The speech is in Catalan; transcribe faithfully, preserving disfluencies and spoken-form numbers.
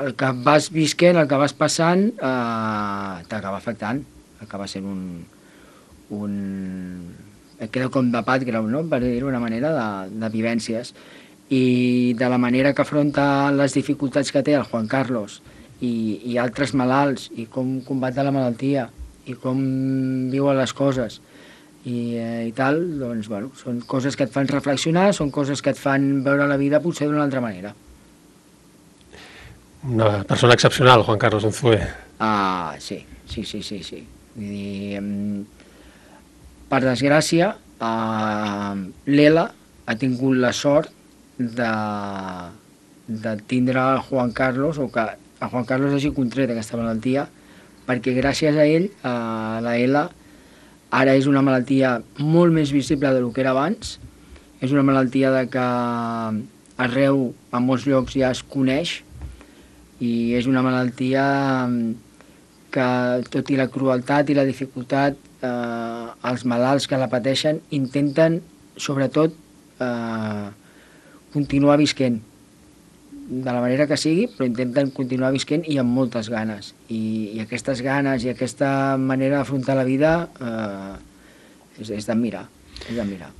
el que vas visquent, el que vas passant, eh, t'acaba afectant, acaba sent un... un... et queda com de background, no?, per dir-ho d'una manera, de, de vivències. I de la manera que afronta les dificultats que té el Juan Carlos i, i altres malalts, i com combata la malaltia, i com viuen les coses, i, eh, i tal, doncs, bueno, són coses que et fan reflexionar, són coses que et fan veure la vida potser d'una altra manera. Una persona excepcional, Juan Carlos Unzué. Ah, sí, sí, sí, sí, sí. Vull dir, per desgràcia, eh, l'Ela ha tingut la sort de, de tindre el Juan Carlos, o que el Juan Carlos hagi contret aquesta malaltia, perquè gràcies a ell, eh, la Ela, ara és una malaltia molt més visible del que era abans, és una malaltia de que arreu, a molts llocs ja es coneix, i és una malaltia que, tot i la crueltat i la dificultat, eh, els malalts que la pateixen intenten, sobretot, eh, continuar visquent, de la manera que sigui, però intenten continuar visquent i amb moltes ganes. I, i aquestes ganes i aquesta manera d'afrontar la vida eh, és, és d'admirar, és d'admirar.